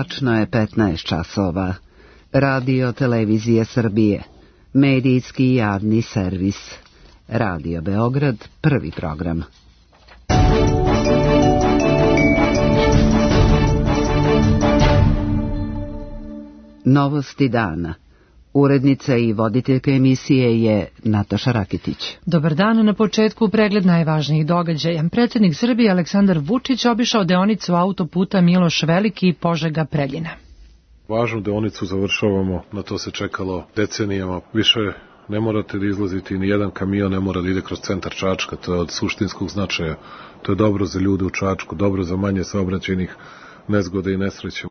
Tačno je 15 časova. Radio Televizije Srbije. Medijski javni servis. Radio Beograd, prvi program. Novosti dana. Urednica i voditeljka emisije je Nataša Rakitić. Dobar dan, na početku pregled najvažnijih događaja. Predsjednik Srbije Aleksandar Vučić obišao deonicu autoputa Miloš Veliki Požega-Preljina. Važnu deonicu završavamo, na to se čekalo decenijama. Više ne morate da izlazite, ni jedan kamion ne mora da ide kroz centar Čačka, to je od suštinskog značaja. To je dobro za ljude u Čačku, dobro za manje saobraćajnih nezgoda i nesreća.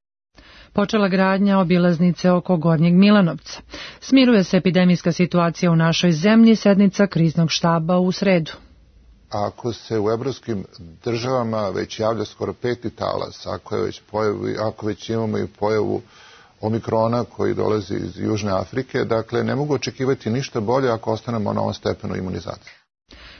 Počela gradnja obilaznice oko Gornjeg Milanovca. Smiruje se epidemijska situacija u našoj zemlji, sednica kriznog štaba u sredu. Ako se u evropskim državama već javlja skoro 5. talas, ako već imamo i pojavu omikrona koji dolazi iz Južne Afrike, dakle ne mogu očekivati ništa bolje ako ostanemo na ovom stepenu imunizacije.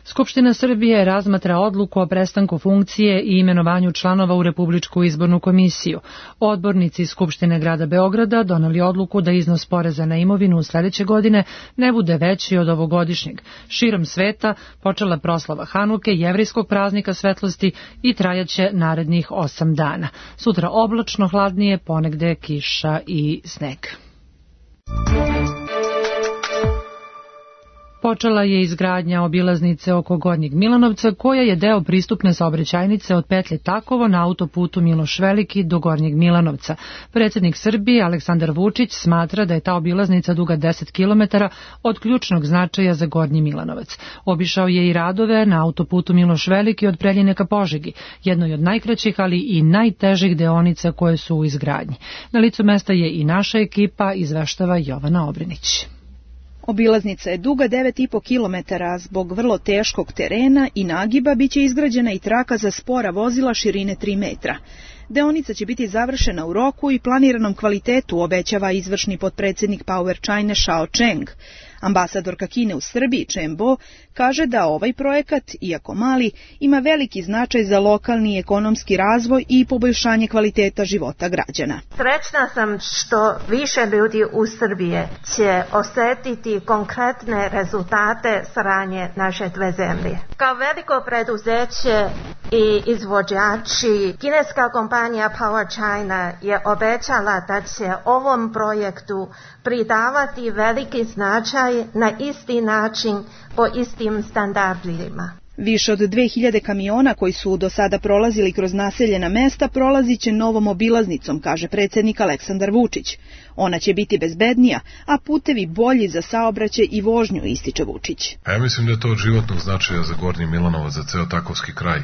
Skupština Srbije razmatra odluku o prestanku funkcije i imenovanju članova u Republičku izbornu komisiju. Odbornici Skupštine grada Beograda doneli odluku da iznos poreza na imovinu u sledeće godine ne bude veći od ovogodišnjeg. Širom sveta počela proslava Hanuke, jevrijskog praznika svetlosti, i trajaće narednih 8 dana. Sutra oblačno, hladnije, ponegde kiša i sneg. Počela je izgradnja obilaznice oko Gornjeg Milanovca, koja je deo pristupne saobraćajnice od petlje Takovo na autoputu Miloš Veliki do Gornjeg Milanovca. Predsjednik Srbije Aleksandar Vučić smatra da je ta obilaznica duga 10 km od ključnog značaja za Gornji Milanovac. Obišao je i radove na autoputu Miloš Veliki od Preljine ka Požegi, jednoj od najkraćih, ali i najtežih deonica koje su u izgradnji. Na licu mesta je i naša ekipa, izveštava Jovana Obrinić. Obilaznica je duga 9,5 km, zbog vrlo teškog terena i nagiba biće izgrađena i traka za spora vozila širine 3 metra. Deonica će biti završena u roku i planiranom kvalitetu, obećava izvršni potpredsjednik Power China Shao Cheng. Ambasadorka Kine u Srbiji Chen Bo kaže da ovaj projekat, iako mali, ima veliki značaj za lokalni ekonomski razvoj i poboljšanje kvaliteta života građana. Srećna sam što više ljudi u Srbiji će osjetiti konkretne rezultate saradnje naše dve zemlje. Kao veliko preduzeće i izvođači, kineska kompanija Power China je obećala da će ovom projektu pridavati veliki značaj na isti način po istim standardima. Više od 2000 kamiona koji su do sada prolazili kroz naseljena mesta prolazit će novom obilaznicom, kaže predsjednik Aleksandar Vučić. Ona će biti bezbednija, a putevi bolji za saobraćaj i vožnju, ističe Vučić. Ja mislim da je to od životnog značaja za Gornji Milanovac, za ceo Takovski kraj.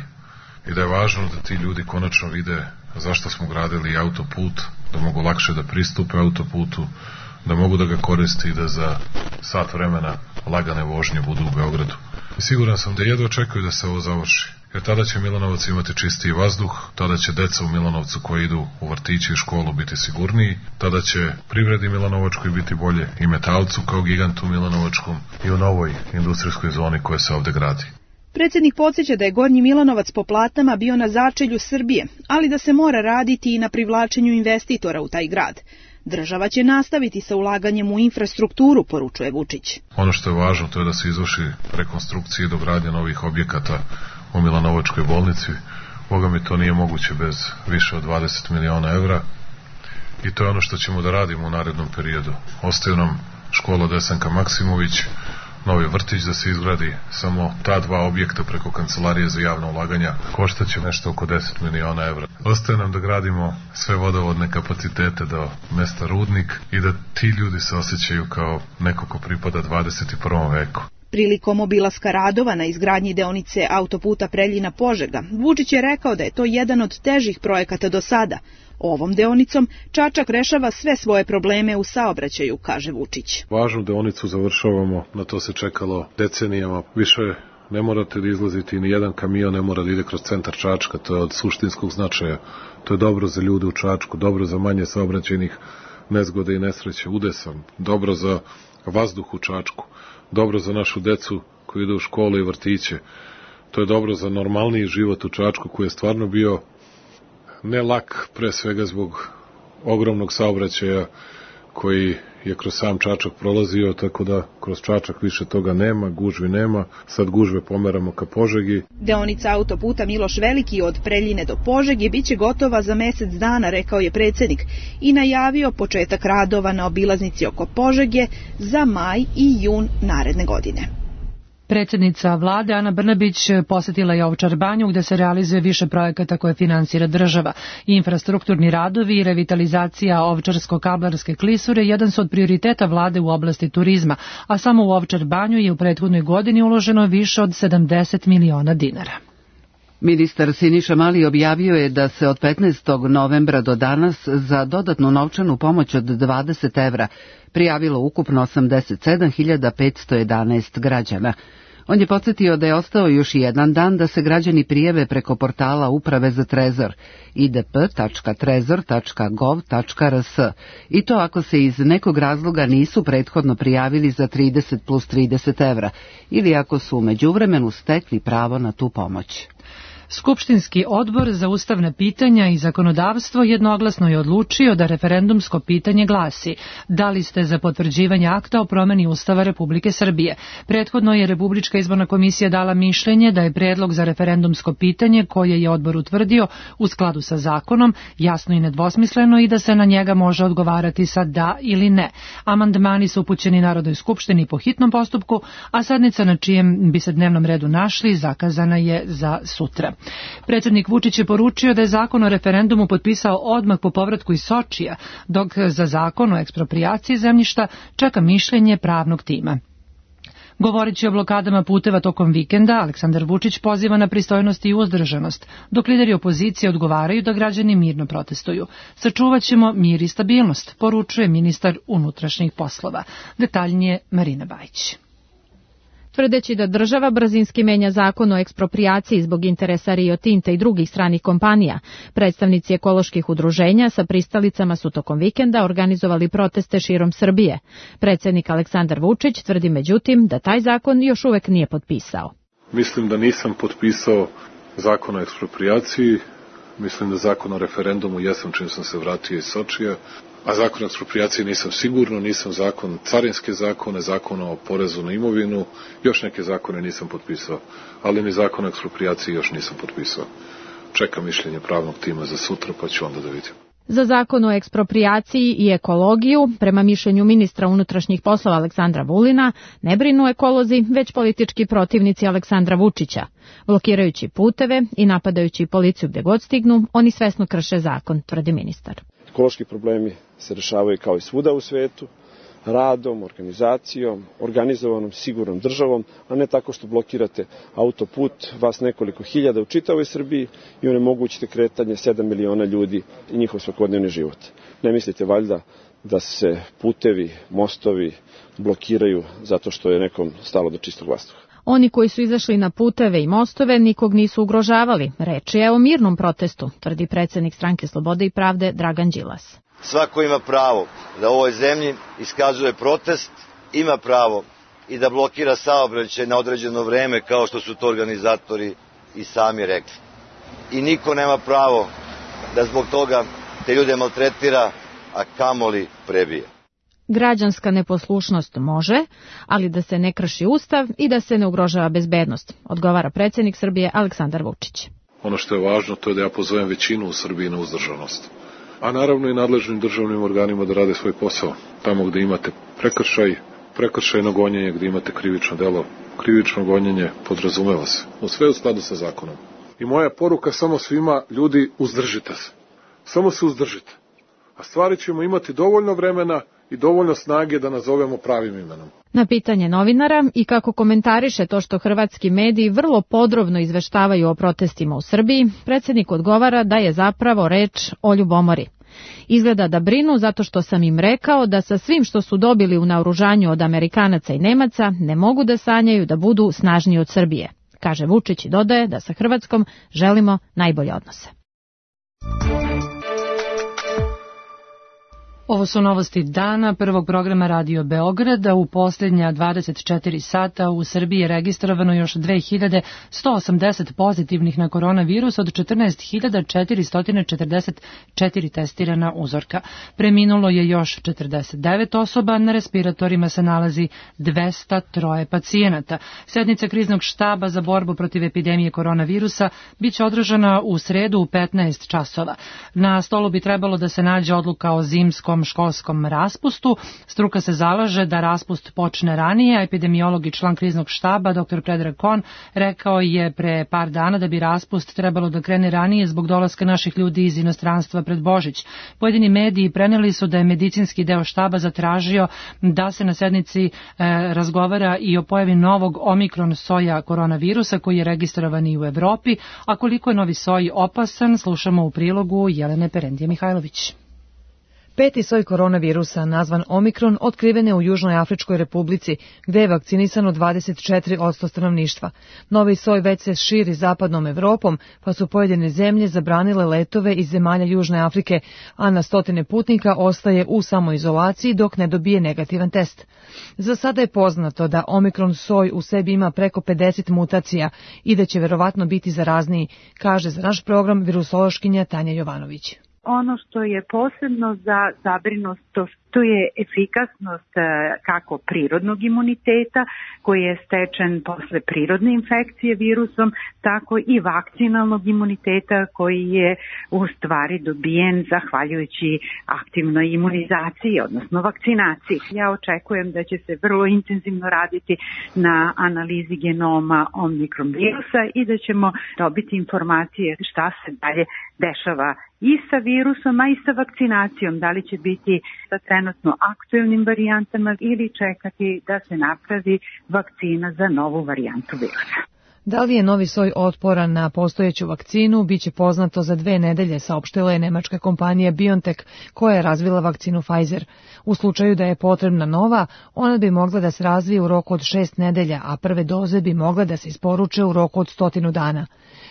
I da je važno da ti ljudi konačno vide zašto smo gradili autoput, da mogu lakše da pristupe autoputu, da mogu da ga koriste i da za sat vremena lagane vožnje budu u Beogradu. I siguran sam da jedva očekuju da se ovo završi, jer tada će Milanovac imati čistiji vazduh, tada će deca u Milanovcu koji idu u vrtiće i školu biti sigurniji, tada će privredi Milanovačkoj biti bolje, i Metalcu kao gigantu Milanovačkom i u novoj industrijskoj zoni koja se ovde gradi. Predsjednik podsjeća da je Gornji Milanovac po platama bio na začelju Srbije, ali da se mora raditi i na privlačenju investitora u taj grad. Država će nastaviti sa ulaganjem u infrastrukturu, poručuje Vučić. Ono što je važno to je da se izvrši rekonstrukcija i dogradnja novih objekata u Milanovačkoj bolnici. Boga mi to nije moguće bez više od 20 miliona evra i to je ono što ćemo da radimo u narednom periodu. Ostaju nam škola Desanka Maksimović, novi vrtić da se izgradi, samo ta 2 objekta preko Kancelarije za javna ulaganja koštaće nešto oko 10 miliona evra. Ostaje nam da gradimo sve vodovodne kapacitete do mesta Rudnik i da ti ljudi se osjećaju kao neko ko pripada 21. veku. Prilikom obilaska radova na izgradnji deonice autoputa Preljina-Požega, Vučić je rekao da je to jedan od težih projekata do sada. Ovom deonicom Čačak rešava sve svoje probleme u saobraćaju, kaže Vučić. Važnu deonicu završavamo, na to se čekalo decenijama. Više ne morate da izlazite, ni jedan kamion ne mora da ide kroz centar Čačka, to je od suštinskog značaja. To je dobro za ljude u Čačku, dobro za manje saobraćajnih nezgoda i nesreće, udesan, dobro za vazduh u Čačku, dobro za našu decu koji idu u školu i vrtiće. To je dobro za normalniji život u Čačku koji je stvarno bio ne lak, pre svega zbog ogromnog saobraćaja koji je kroz sam Čačak prolazio, tako da kroz Čačak više toga nema, gužvi nema, sad gužve pomeramo ka Požegi. Deonica autoputa Miloš Veliki od Preljine do Požege biće gotova za mesec dana, rekao je predsjednik, i najavio početak radova na obilaznici oko Požege za maj i jun naredne godine. Predsjednica vlade Ana Brnabić posjetila je Ovčar banju gdje se realizuje više projekata koje finansira država. Infrastrukturni radovi i revitalizacija Ovčarsko-kablarske klisure jedan su od prioriteta vlade u oblasti turizma, a samo u Ovčar banju je u prethodnoj godini uloženo više od 70 miliona dinara. Ministar Siniša Mali objavio je da se od 15. novembra do danas za dodatnu novčanu pomoć od 20 evra prijavilo ukupno 87.511 građana. On je podsjetio da je ostao još jedan dan da se građani prijave preko portala Uprave za trezor idp.trezor.gov.rs i to ako se iz nekog razloga nisu prethodno prijavili za 30 plus 30 evra ili ako su u međuvremenu stekli pravo na tu pomoć. Skupštinski odbor za ustavna pitanja i zakonodavstvo jednoglasno je odlučio da referendumsko pitanje glasi: da li ste za potvrđivanje akta o promeni Ustava Republike Srbije? Prethodno je Republička izborna komisija dala mišljenje da je predlog za referendumsko pitanje koje je odbor utvrdio u skladu sa zakonom jasno i nedvosmisleno i da se na njega može odgovarati sa da ili ne. Amandmani su upućeni Narodnoj skupštini po hitnom postupku, a sednica na čijem bi se dnevnom redu našli zakazana je za sutra. Predsjednik Vučić je poručio da je zakon o referendumu potpisao odmah po povratku iz Sočija, dok za zakon o eksproprijaciji zemljišta čeka mišljenje pravnog tima. Govoreći o blokadama puteva tokom vikenda, Aleksandar Vučić poziva na pristojnost i uzdržanost, dok lideri opozicije odgovaraju da građani mirno protestuju. Sačuvaćemo mir i stabilnost, poručuje ministar unutrašnjih poslova. Detaljnije Marina Bajić. Tvrdeći da država brzinski menja zakon o eksproprijaciji zbog interesa Rio Tinta i drugih stranih kompanija, predstavnici ekoloških udruženja sa pristalicama su tokom vikenda organizovali proteste širom Srbije. Predsjednik Aleksandar Vučić tvrdi međutim da taj zakon još uvek nije potpisao. Mislim da nisam potpisao zakon o eksproprijaciji, mislim da zakon o referendumu jesam čim sam se vratio iz Sočija, a zakon o eksproprijaciji nisam sigurno, nisam zakon, carinske zakone, zakon o porezu na imovinu, još neke zakone nisam potpisao, ali ni zakon o eksproprijaciji još nisam potpisao. Čekam mišljenje pravnog tima za sutra, pa ću onda da vidim. Za zakon o eksproprijaciji i ekologiju, prema mišljenju ministra unutrašnjih poslova Aleksandra Vulina, ne brinu ekolozi, već politički protivnici Aleksandra Vučića. Blokirajući puteve i napadajući policiju gde god stignu, oni svesno krše zakon, tvrdi ministar. Ekološki problemi se rešavaju kao i svuda u svetu, radom, organizacijom, organizovanom, sigurnom državom, a ne tako što blokirate autoput, vas nekoliko hiljada u čitavoj Srbiji i onemogućite kretanje 7 miliona ljudi i njihov svakodnevni život. Ne mislite valjda da se putevi, mostovi blokiraju zato što je nekom stalo do čistog vazduha? Oni koji su izašli na puteve i mostove nikog nisu ugrožavali. Reč je o mirnom protestu, tvrdi predsjednik Stranke slobode i pravde Dragan Đilas. Svako ima pravo da u ovoj zemlji iskazuje protest, ima pravo i da blokira saobraćaj na određeno vreme kao što su to organizatori i sami rekli. I niko nema pravo da zbog toga te ljude maltretira, a kamoli prebije. Građanska neposlušnost može, ali da se ne krši ustav i da se ne ugrožava bezbednost, odgovara predsjednik Srbije Aleksandar Vučić. Ono što je važno to je da ja pozovem većinu u Srbiji na uzdržanost. A naravno i nadležnim državnim organima da rade svoj posao. Tamo gde imate prekršajno gonjenje, gde imate krivično delo, krivično gonjenje podrazumeva se. Sve u skladu sa zakonom. I moja poruka samo svima, ljudi, uzdržite se. Samo se uzdržite. A stvari ćemo imati dovoljno vremena i dovoljno snage da nazovemo pravim imenom. Na pitanje novinara i kako komentariše to što hrvatski mediji vrlo podrobno izveštavaju o protestima u Srbiji, predsjednik odgovara da je zapravo reč o ljubomori. Izgleda da brinu zato što sam im rekao da sa svim što su dobili u naoružanju od Amerikanaca i Nemaca ne mogu da sanjaju da budu snažniji od Srbije. Kaže Vučić i dodaje da sa Hrvatskom želimo najbolje odnose. Ovo su novosti dana prvog programa Radio Beograda. U posljednja 24 sata u Srbiji je registrovano još 2180 pozitivnih na koronavirus od 14.444 testirana uzorka. Preminulo je još 49 osoba, na respiratorima se nalazi 203 pacijenata. Sednica kriznog štaba za borbu protiv epidemije koronavirusa biće održana u sredu u 15 časova. Na stolu bi trebalo da se nađe odluka o zimskom školskom raspustu. Struka se zalaže da raspust počne ranije, a epidemiolog i član kriznog štaba dr. Predrag Kon rekao je pre par dana da bi raspust trebalo da krene ranije zbog dolaska naših ljudi iz inostranstva pred Božić. Pojedini mediji preneli su da je medicinski deo štaba zatražio da se na sednici razgovara i o pojavi novog omikron soja koronavirusa koji je registrovan i u Evropi, a koliko je novi soj opasan slušamo u prilogu Jelene Perendije Mihajlović. Peti soj koronavirusa, nazvan Omikron, otkriven je u Južnoj Afričkoj republici, gde je vakcinisano 24% stanovništva. Novi soj već se širi zapadnom Evropom, pa su pojedine zemlje zabranile letove iz zemalja Južne Afrike, a na stotine putnika ostaje u samoizolaciji dok ne dobije negativan test. Za sada je poznato da Omikron soj u sebi ima preko 50 mutacija i da će verovatno biti zarazniji, kaže za naš program virusološkinja Tanja Jovanović. Ono što je posebno za zabrinutost, to je efikasnost kako prirodnog imuniteta koji je stečen posle prirodne infekcije virusom, tako i vakcinalnog imuniteta koji je u stvari dobijen zahvaljujući aktivnoj imunizaciji, odnosno vakcinaciji. Ja očekujem da će se vrlo intenzivno raditi na analizi genoma Omikron virusa i da ćemo dobiti informacije šta se dalje dešava i sa virusom, a i sa vakcinacijom, da li će biti sa trenutno aktuelnim varijantama ili čekati da se napravi vakcina za novu varijantu virusa. Da li je novi soj otporan na postojeću vakcinu, biće poznato za 2 nedelje, saopštila je nemačka kompanija BioNTech, koja je razvila vakcinu Pfizer. U slučaju da je potrebna nova, ona bi mogla da se razvije u roku od 6 nedelja, a prve doze bi mogle da se isporuče u roku od 100 dana.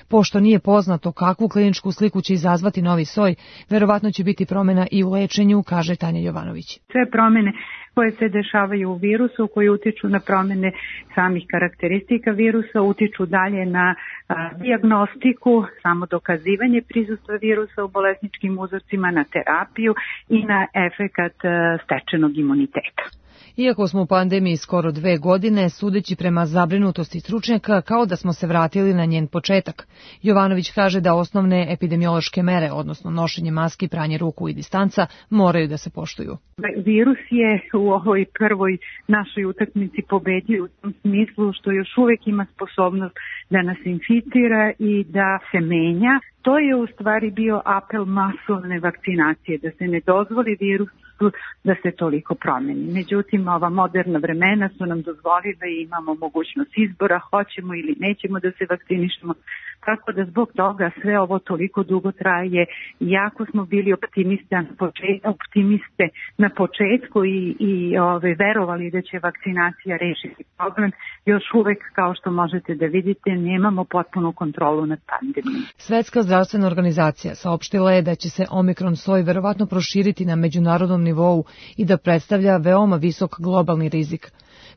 Pošto nije poznato kakvu kliničku sliku će izazvati novi soj, verovatno će biti promjena i u lečenju, kaže Tanja Jovanović. Sve promjene koje se dešavaju u virusu, koji utiču na promjene samih karakteristika virusa, utiču dalje na dijagnostiku, samo dokazivanje prisustva virusa u bolesničkim uzorcima, na terapiju i na efekat stečenog imuniteta. Iako smo u pandemiji skoro 2 godine, sudeći prema zabrinutosti stručnjaka, kao da smo se vratili na njen početak. Jovanović kaže da osnovne epidemiološke mere, odnosno nošenje maski, pranje ruku i distanca, moraju da se poštuju. Virus je u ovoj prvoj našoj utakmici pobedio u tom smislu što još uvijek ima sposobnost da nas inficira i da se menja. To je u stvari bio apel masovne vakcinacije, da se ne dozvoli virusu da se toliko promeni. Međutim, ova moderna vremena su nam dozvolile i imamo mogućnost izbora, hoćemo ili nećemo da se vakcinišemo, tako da zbog toga sve ovo toliko dugo traje. Jako smo bili optimiste na početku i verovali da će vakcinacija rešiti problem. Još uvek, kao što možete da vidite, nemamo potpunu kontrolu nad pandemijom. Svetska zdravstvena organizacija saopštila je da će se Omikron soj verovatno proširiti na međunarodnom nivou i da predstavlja veoma visok globalni rizik.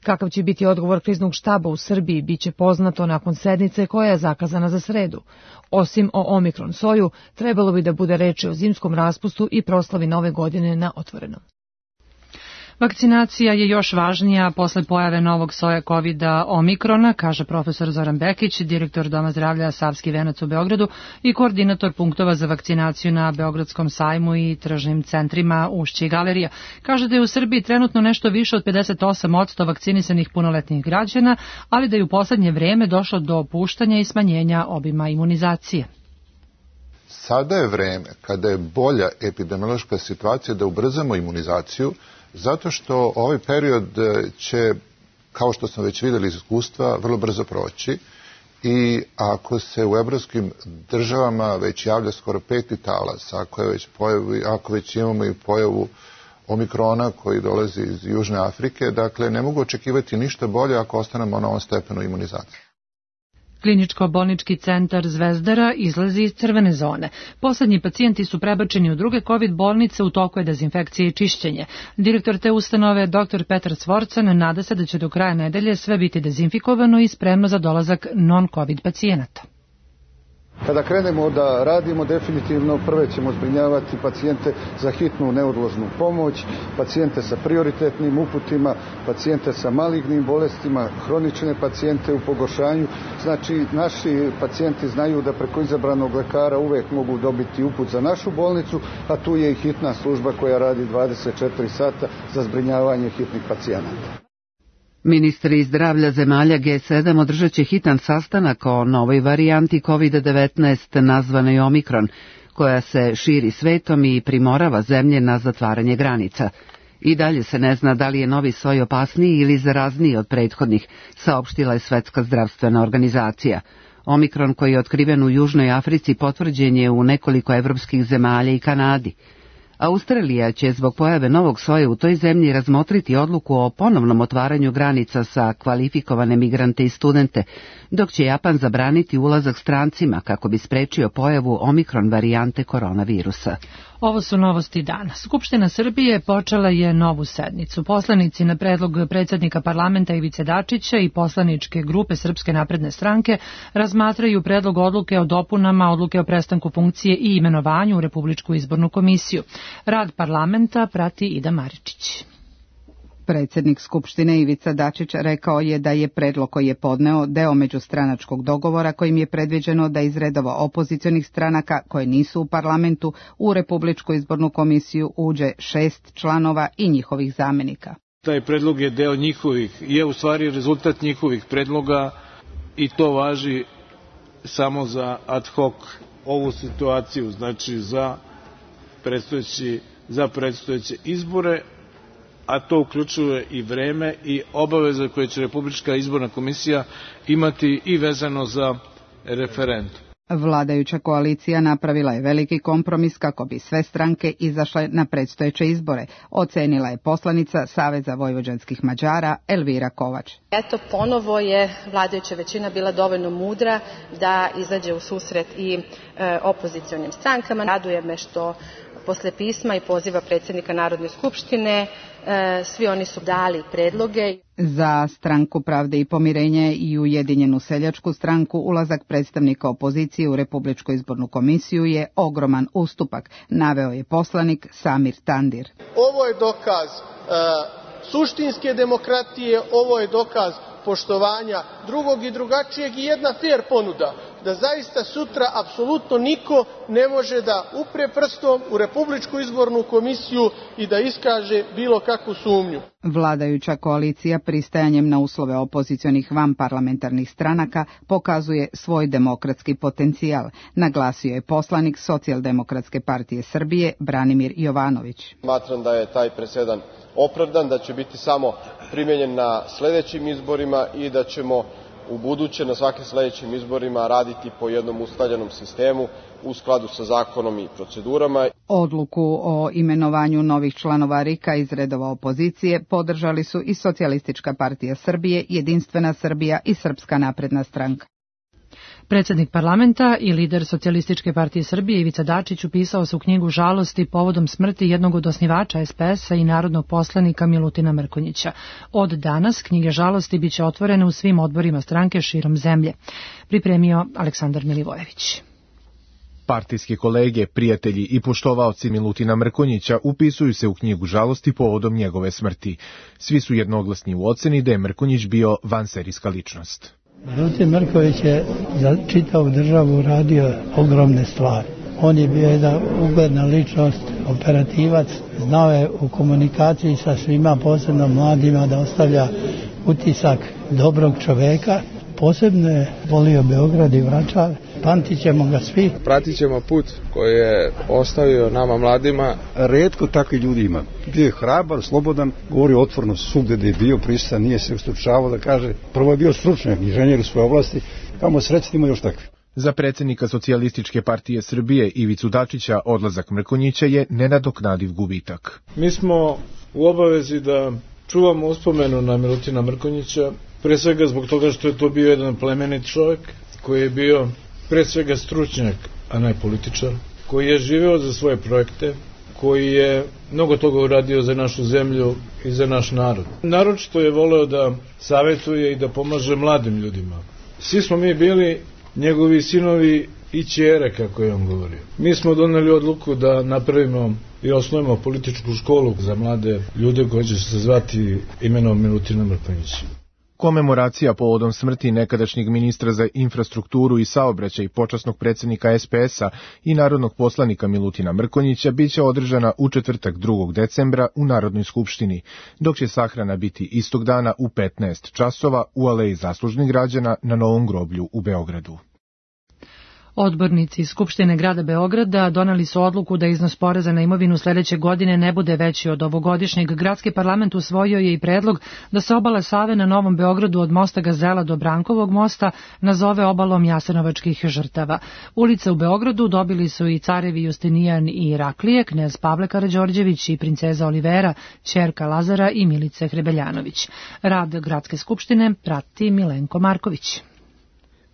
Kakav će biti odgovor kriznog štaba u Srbiji biće poznato nakon sednice koja je zakazana za sredu. Osim o Omikron soju, trebalo bi da bude reči o zimskom raspustu i proslavi nove godine na otvorenom. Vakcinacija je još važnija posle pojave novog soja COVID-a Omikrona, kaže profesor Zoran Bekić, direktor Doma zdravlja Savski venac u Beogradu i koordinator punktova za vakcinaciju na Beogradskom sajmu i tržnim centrima Ušće i Galerija. Kaže da je u Srbiji trenutno nešto više od 58% vakcinisanih punoletnih građana, ali da je u poslednje vreme došlo do opuštanja i smanjenja obima imunizacije. Sada je vreme kada je bolja epidemiološka situacija da ubrzamo imunizaciju, zato što ovaj period će, kao što smo već vidjeli iz iskustva, vrlo brzo proći i ako se u evropskim državama već javlja skoro 5. talas, ako već imamo i pojavu Omikrona koji dolazi iz Južne Afrike, dakle ne mogu očekivati ništa bolje ako ostanemo na ovom stepenu imunizacije. Kliničko-bolnički centar Zvezdara izlazi iz crvene zone. Poslednji pacijenti su prebačeni u druge COVID bolnice, u toku je dezinfekcije i čišćenje. Direktor te ustanove, dr. Petar Svorcan, nada se da će do kraja nedelje sve biti dezinfikovano i spremno za dolazak non-COVID pacijenata. Kada krenemo da radimo, definitivno prve ćemo zbrinjavati pacijente za hitnu neodložnu pomoć, pacijente sa prioritetnim uputima, pacijente sa malignim bolestima, hronične pacijente u pogoršanju. Znači, naši pacijenti znaju da preko izabranog lekara uvek mogu dobiti uput za našu bolnicu, a tu je i hitna služba koja radi 24 sata za zbrinjavanje hitnih pacijenata. Ministri zdravlja zemalja G7 održat će hitan sastanak o novoj varijanti COVID-19 nazvanoj Omikron, koja se širi svetom i primorava zemlje na zatvaranje granica. I dalje se ne zna da li je novi soj opasniji ili zarazniji od prethodnih, saopštila je Svetska zdravstvena organizacija. Omikron, koji je otkriven u Južnoj Africi, potvrđen je u nekoliko evropskih zemalja i Kanadi. Australija će zbog pojave novog soja u toj zemlji razmotriti odluku o ponovnom otvaranju granica sa kvalifikovane migrante i studente, dok će Japan zabraniti ulazak strancima kako bi sprečio pojavu Omikron varijante koronavirusa. Ovo su novosti dana. Skupština Srbije počela je novu sednicu. Poslanici na predlog predsjednika parlamenta Ivice Dačića i poslaničke grupe Srpske napredne stranke razmatraju predlog odluke o dopunama odluke o prestanku funkcije i imenovanju u Republičku izbornu komisiju. Rad parlamenta prati Ida Maričić. Predsjednik Skupštine Ivica Dačić rekao je da je predlog koji je podneo deo međustranačkog dogovora kojim je predviđeno da iz redova opozicionih stranaka koje nisu u parlamentu u Republičku izbornu komisiju uđe 6 članova i njihovih zamjenika. Taj predlog je deo njihovih, je u stvari rezultat njihovih predloga i to važi samo za ad hoc ovu situaciju, znači za predstojeće izbore, a to uključuje i vreme i obaveze koje će Republička izborna komisija imati i vezano za referendum. Vladajuća koalicija napravila je veliki kompromis kako bi sve stranke izašle na predstojeće izbore, ocenila je poslanica Saveza vojvođanskih Mađara Elvira Kovač. Eto, ponovo je vladajuća većina bila dovoljno mudra da izađe u susret i opozicionim strankama. Raduje me što posle pisma i poziva predsjednika Narodne skupštine svi oni su dali predloge. Za Stranku pravde i pomirenje i Ujedinjenu seljačku stranku ulazak predstavnika opozicije u Republičku izbornu komisiju je ogroman ustupak, naveo je poslanik Samir Tandir. Ovo je dokaz suštinske demokratije, ovo je dokaz poštovanja drugog i drugačijeg i jedna fer ponuda da zaista sutra apsolutno niko ne može da upre prstom u Republičku izbornu komisiju i da iskaže bilo kakvu sumnju. Vladajuća koalicija pristajanjem na uslove opozicionih vanparlamentarnih stranaka pokazuje svoj demokratski potencijal, naglasio je poslanik Socijaldemokratske partije Srbije Branimir Jovanović. Smatram da je taj presedan opravdan, da će biti samo primenjen na sledećim izborima i da ćemo u buduće na svakim sledećim izborima raditi po jednom ustaljenom sistemu u skladu sa zakonom i procedurama. Odluku o imenovanju novih članova RIK-a iz redova opozicije podržali su i Socijalistička partija Srbije, Jedinstvena Srbija i Srpska napredna stranka. Predsjednik parlamenta i lider Socijalističke partije Srbije Ivica Dačić upisao se u knjigu žalosti povodom smrti jednog od osnivača SPS-a i narodnog poslanika Milutina Mrkonjića. Od danas knjige žalosti biće otvorene u svim odborima stranke širom zemlje. Pripremio Aleksandar Milivojević. Partijski kolege, prijatelji i poštovaoci Milutina Mrkonjića upisuju se u knjigu žalosti povodom njegove smrti. Svi su jednoglasni u oceni da je Mrkonjić bio vanserijska ličnost. Milutin Mrkonjić je za čitavu državu radio ogromne stvari. On je bio jedna ugledna ličnost, operativac, znao je u komunikaciji sa svima, posebno mladima, da ostavlja utisak dobrog čoveka. Posebno je volio Beograd i Vračar, pamtit ćemo ga svi. Pratit ćemo put koji je ostavio nama mladima. Retko takvi ljudi ima. Bio je hrabar, slobodan, govorio otvorno svugde da je bio prisutan, nije se ustručavao da kaže. Prvo je bio stručnjak, inženjer u svoje oblasti, kamo srećni ima još takvi. Za predsjednika Socijalističke partije Srbije Ivicu Dačića odlazak Mrkonjića je nenadoknadiv gubitak. Mi smo u obavezi da čuvamo uspomenu na Milutina Mrkonjića, pre svega zbog toga što je to bio jedan plemenit čovjek, koji je bio pre svega stručnjak, a ne političar, koji je živeo za svoje projekte, koji je mnogo toga uradio za našu zemlju i za naš narod. Naročito je voleo da savetuje i da pomaže mladim ljudima. Svi smo mi bili njegovi sinovi i ćere, kako je on govorio. Mi smo doneli odluku da napravimo i osnovimo političku školu za mlade ljude koji će se zvati imenom Milutina Mrkonjića. Komemoracija povodom smrti nekadašnjeg ministra za infrastrukturu i saobraćaj, počasnog predsjednika SPS-a i narodnog poslanika Milutina Mrkonjića biće održana u četvrtak 2. decembra u Narodnoj skupštini, dok će sahrana biti istog dana u 15 časova u Aleji zaslužnih građana na Novom groblju u Beogradu. Odbornici iz Skupštine grada Beograda doneli su odluku da iznos poreza na imovinu sledeće godine ne bude veći od ovogodišnjeg. Gradski parlament usvojio je i predlog da se obala Save na Novom Beogradu od mosta Gazela do Brankovog mosta nazove obalom jasenovačkih žrtava. Ulice u Beogradu dobili su i carevi Justinijan i Iraklije, knez Pavle Karađorđević i princeza Olivera, ćerka Lazara i Milice Hrebeljanović. Rad Gradske skupštine prati Milenko Marković.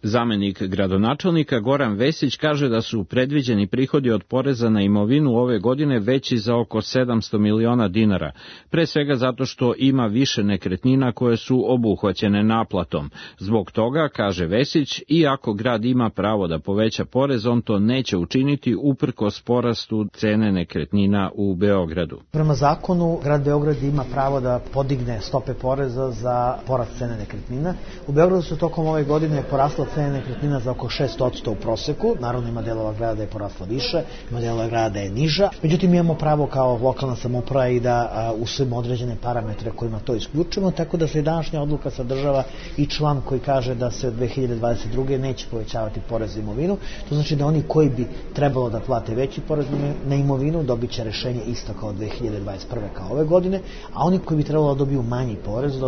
Zamenik gradonačelnika Goran Vesić kaže da su predviđeni prihodi od poreza na imovinu ove godine veći za oko 700 miliona dinara, pre svega zato što ima više nekretnina koje su obuhvaćene naplatom. Zbog toga, kaže Vesić, iako grad ima pravo da poveća porez, on to neće učiniti uprkos porastu cene nekretnina u Beogradu. Prema zakonu, grad Beograd ima pravo da podigne stope poreza za porast cene nekretnina. U Beogradu su tokom ove godine porasla cena nekretnina za oko 6% u proseku. Naravno, ima delova grada da je porasla više, ima delova grada da je niža. Međutim, imamo pravo kao lokalna samouprava i da usvojimo određene parametre kojima to isključimo, tako da se i današnja odluka sadržava i član koji kaže da se od 2022. neće povećavati porez na imovinu. To znači da oni koji bi trebalo da plate veći porez na imovinu dobit će rešenje isto kao 2021. kao ove godine, a oni koji bi trebalo da dobiju manji porez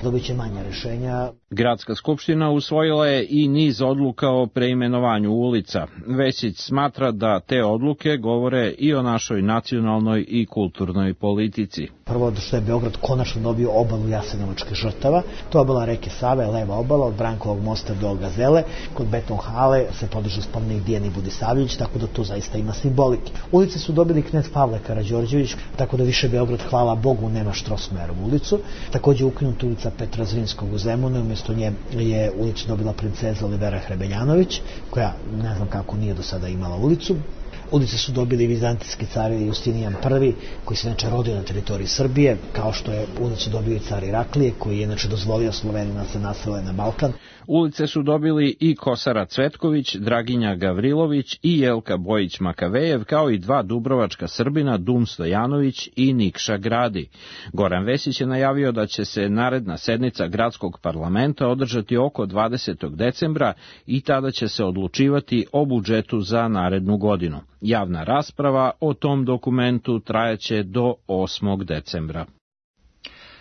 dobit će manja rešenja. Gradska skupština usvojila je i niz odluka o preimenovanju ulica. Vesić smatra da te odluke govore i o našoj nacionalnoj i kulturnoj politici. Prvo što je Beograd konačno dobio obalu jasenovačkih žrtava, to je obala reke Save, leva obala od Brankovog mosta do Gazele. Kod Beton hale se podiže spomenik Dijani Budisavljević, tako da to zaista ima simbolike. Ulice su dobili knez Pavle Karađorđević, tako da više Beograd, hvala Bogu, nema Štrosmajerovu ulicu. Takođe ukinuta ulica Petra Zrinskog u Zemunu, umjesto nje je ulicu dobila princeza Olivera Hrebeljanović, koja ne znam kako nije do sada imala ulicu. Ulice su dobili vizantijski car Justinijan I, koji se inače rodio na teritoriji Srbije, kao što je ulicu dobio i car Iraklije, koji je inače dozvolio Slovenima se nasele na Balkan. Ulice su dobili i Kosara Cvetković, Draginja Gavrilović i Jelka Bojić-Makavejev, kao i dva dubrovačka Srbina, Dum Stojanović i Nikša Gradi. Goran Vesić je najavio da će se naredna sednica gradskog parlamenta održati oko 20. decembra i tada će se odlučivati o budžetu za narednu godinu. Javna rasprava o tom dokumentu trajaće do 8. decembra.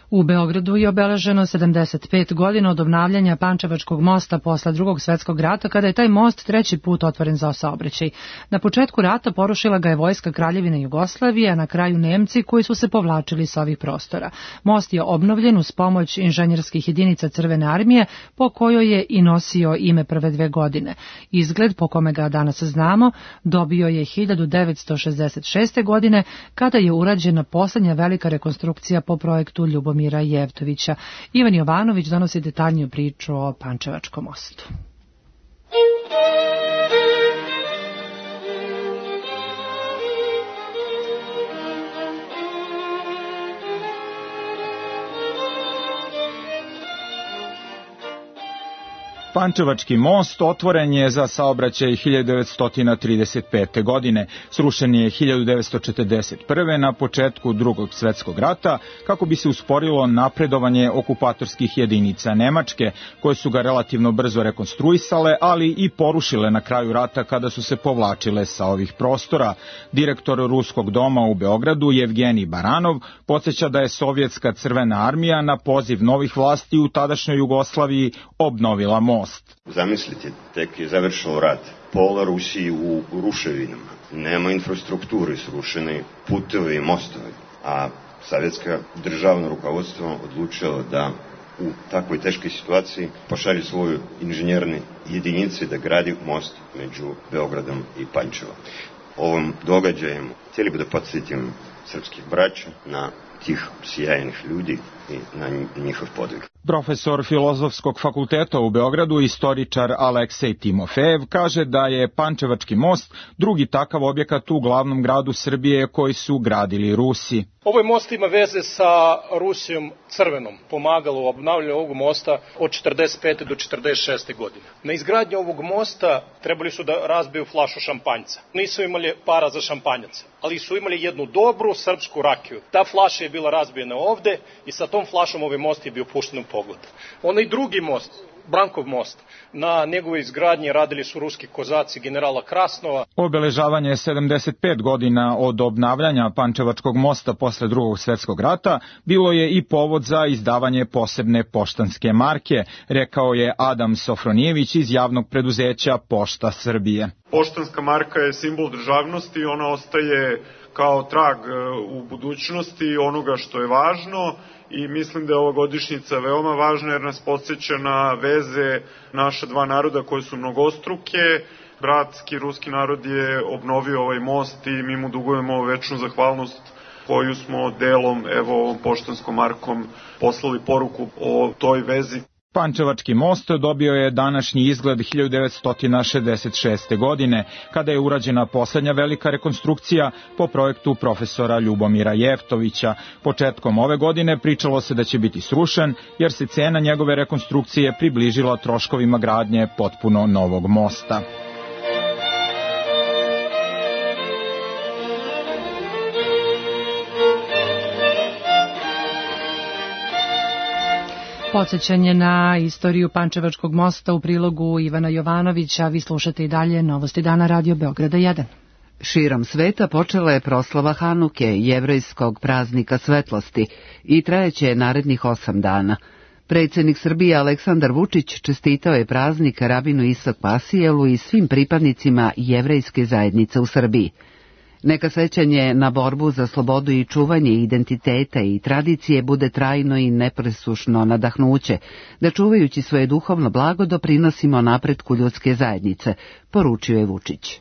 U Beogradu je obeleženo 75 godina od obnavljanja Pančevačkog mosta posle Drugog svetskog rata, kada je taj most treći put otvoren za saobraćaj. Na početku rata porušila ga je vojska Kraljevine Jugoslavije, a na kraju Nemci koji su se povlačili sa ovih prostora. Most je obnovljen uz pomoć inženjerskih jedinica Crvene armije, po kojoj je i nosio ime prve 2 godine. Izgled po kome ga danas znamo dobio je 1966. godine, kada je urađena poslednja velika rekonstrukcija po projektu Ljubomira Jevtovića. Ivan Jovanović donosi detaljniju priču o Pančevačkom mostu. Pančevački most otvoren je za saobraćaj 1935. godine. Srušen je 1941. na početku Drugog svetskog rata, kako bi se usporilo napredovanje okupatorskih jedinica Nemačke, koje su ga relativno brzo rekonstruisale, ali i porušile na kraju rata kada su se povlačile sa ovih prostora. Direktor Ruskog doma u Beogradu, Jevgenij Baranov, podsjeća da je Sovjetska crvena armija na poziv novih vlasti u tadašnjoj Jugoslaviji obnovila most. Zamislite, tek je završeno rat. Pola Rusiji u ruševinama. Nema infrastrukture, srušene putevi i mostovi. A sovjetska državno rukovodstvo odlučilo da u takvoj teškoj situaciji pošalje svoju inženjerne jedinice da gradi most među Beogradom i Pančevom. Ovom događajem htjeli bi da podsjetim srpskih braća na tih sjajnih ljudi i na njihov podvig. Profesor Filozofskog fakulteta u Beogradu, istoričar Aleksej Timofejev, kaže da je Pančevački most drugi takav objekat u glavnom gradu Srbije koji su gradili Rusi. Ovaj most ima veze sa Rusijom Crvenom, pomagalo u obnavljanju ovog mosta od 45. do 46. godine. Na izgradnju ovog mosta trebali su da razbiju flašu šampanjca. Nisu imali para za šampanjac, ali su imali jednu dobru srpsku rakiju. Ta flaša je bila razbijena ovde i sa tom flašom ovaj most je bio pušten u pogled. Onaj drugi most, Brankov most, na njegovoj izgradnji radili su ruski kozaci generala Krasnova. Obeležavanje 75 godina od obnavljanja Pančevačkog mosta posle Drugog svjetskog rata bilo je i povod za izdavanje posebne poštanske marke, rekao je Adam Sofronijević iz javnog preduzeća Pošta Srbije. Poštanska marka je simbol državnosti i ona ostaje kao trag u budućnosti onoga što je važno i mislim da je ova godišnjica veoma važna jer nas podsjeća na veze naša dva naroda koje su mnogostruke. Bratski ruski narod je obnovio ovaj most i mi mu dugujemo večnu zahvalnost koju smo delom, evo ovom poštanskom markom, poslali poruku o toj vezi. Pančevački most dobio je današnji izgled 1966. godine, kada je urađena poslednja velika rekonstrukcija po projektu profesora Ljubomira Jeftovića. Početkom ove godine pričalo se da će biti srušen, jer se cena njegove rekonstrukcije približila troškovima gradnje potpuno novog mosta. Podsećanje na istoriju Pančevačkog mosta u prilogu Ivana Jovanovića. Vi slušate i dalje Novosti dana Radio Beograda 1. Širom sveta počela je proslava Hanuke, jevrejskog praznika svetlosti, i trajeće narednih 8 dana. Predsjednik Srbije Aleksandar Vučić čestitao je praznik rabinu Isak Pasijelu i svim pripadnicima jevrejske zajednice u Srbiji. Neka sećanje na borbu za slobodu i čuvanje identiteta i tradicije bude trajno i nepresušno nadahnuće, da čuvajući svoje duhovno blago doprinosimo napretku ljudske zajednice, poručio je Vučić.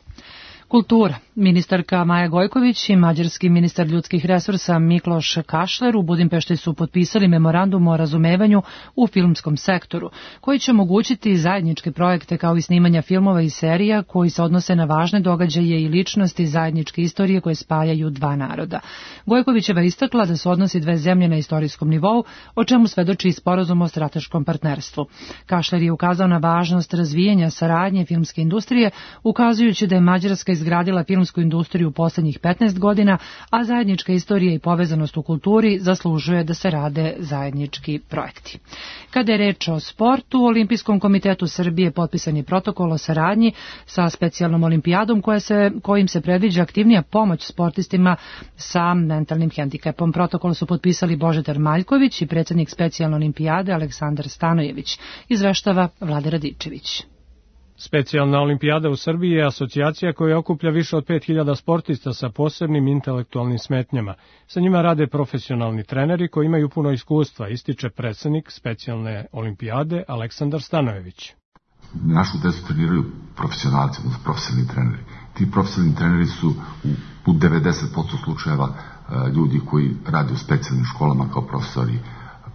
Kultura. Ministarka Maja Gojković i mađarski ministar ljudskih resursa Mikloš Kašler u Budimpešti su potpisali memorandum o razumevanju u filmskom sektoru, koji će omogućiti zajedničke projekte kao i snimanja filmova i serija koji se odnose na važne događaje i ličnosti zajedničke istorije koje spajaju dva naroda. Gojkovićeva istakla da su odnosi dve zemlje na istorijskom nivou, o čemu svedoči i sporazum o strateškom partnerstvu. Kašler je ukazao na važnost razvijanja saradnje filmske industrije, ukazujući da je Mađarska izgradila filmsku industriju u poslednjih 15 godina, a zajednička istorija i povezanost u kulturi zaslužuje da se rade zajednički projekti. Kada je reč o sportu, u Olimpijskom komitetu Srbije potpisan je protokol o saradnji sa specijalnom olimpijadom kojim se predviđa aktivnija pomoć sportistima sa mentalnim hendikepom. Protokol su potpisali Božidar Maljković i predsjednik specijalne olimpijade Aleksandar Stanojević, izveštava Vlade Radičević. Specijalna olimpijada u Srbiji je asocijacija koja okuplja više od 5000 sportista sa posebnim intelektualnim smetnjama. Sa njima rade profesionalni treneri koji imaju puno iskustva, ističe predsjednik specijalne olimpijade Aleksandar Stanojević. Našu decu treniraju profesionalci, profesionalni treneri. Ti profesionalni treneri su u 90% slučajeva ljudi koji rade u specijalnim školama kao profesori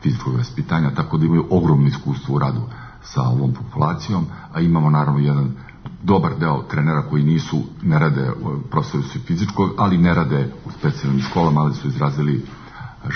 fizičkog vaspitanja, tako da imaju ogromno iskustvo u radu sa ovom populacijom, a imamo naravno jedan dobar deo trenera koji ne rade profesori su fizičkog, ali ne rade u specijalnim školama, ali su izrazili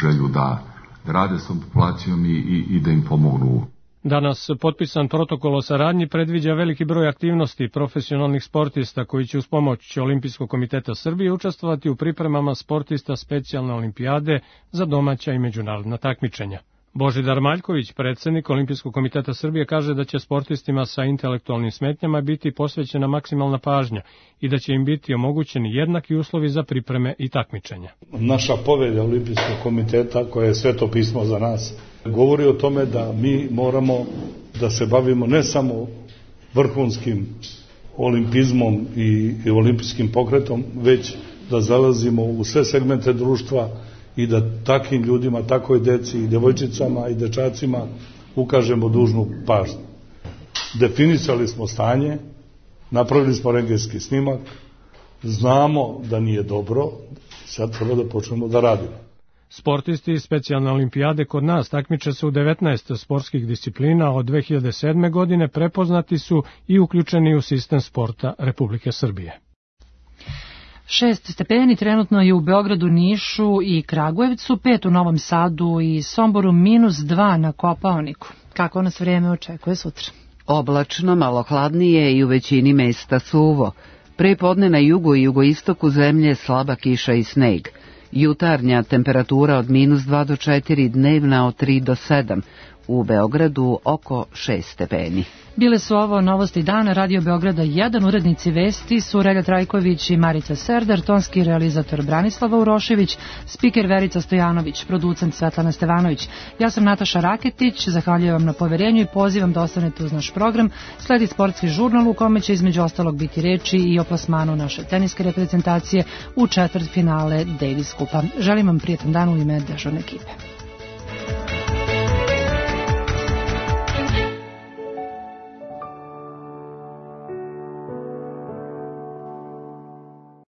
želju da rade s ovom populacijom i da im pomognu. Danas potpisan protokol o saradnji predviđa veliki broj aktivnosti profesionalnih sportista koji će uz pomoć Olimpijskog komiteta Srbije učestvovati u pripremama sportista specijalne olimpijade za domaća i međunarodna takmičenja. Božidar Maljković, predsjednik Olimpijskog komiteta Srbije, kaže da će sportistima sa intelektualnim smetnjama biti posvećena maksimalna pažnja i da će im biti omogućeni jednaki uslovi za pripreme i takmičenja. Naša povelja Olimpijskog komiteta, koja je sveto pismo za nas, govori o tome da mi moramo da se bavimo ne samo vrhunskim olimpizmom i olimpijskim pokretom, već da zalazimo u sve segmente društva i da takvim ljudima, takvoj deci i devojčicama i dečacima ukažemo dužnu pažnju. Definisali smo stanje, napravili smo rentgenski snimak, znamo da nije dobro, sad treba da počnemo da radimo. Sportisti specijalne olimpijade kod nas takmiče se u 19 sportskih disciplina od 2007. godine, prepoznati su i uključeni u sistem sporta Republike Srbije. 6 stepeni trenutno je u Beogradu, Nišu i Kragujevcu, 5 u Novom Sadu i Somboru, -2 na Kopaoniku. Kako nas vreme očekuje sutra? Oblačno, malo hladnije i u većini mesta suvo. Pre podne na jugu i jugoistoku zemlje slaba kiša i sneg. Jutarnja temperatura od -2 do 4, dnevna od 3 do 7. U Beogradu oko 6 stepeni. Bile su ovo novosti dana Radio Beograda 1, urednici vesti su Relja Trajković i Marica Serdar, tonski realizator Branislava Urošević, spiker Verica Stojanović, producent Svetlana Stevanović. Ja sam Nataša Raketić, zahvaljujem vam na poverenju i pozivam da ostanete uz naš program. Sledi sportski žurnal u kome će između ostalog biti reči i o plasmanu naše teniske reprezentacije u četvrtfinale Davis Kupa. Želim vam prijetan dan u ime dežurne ekipe.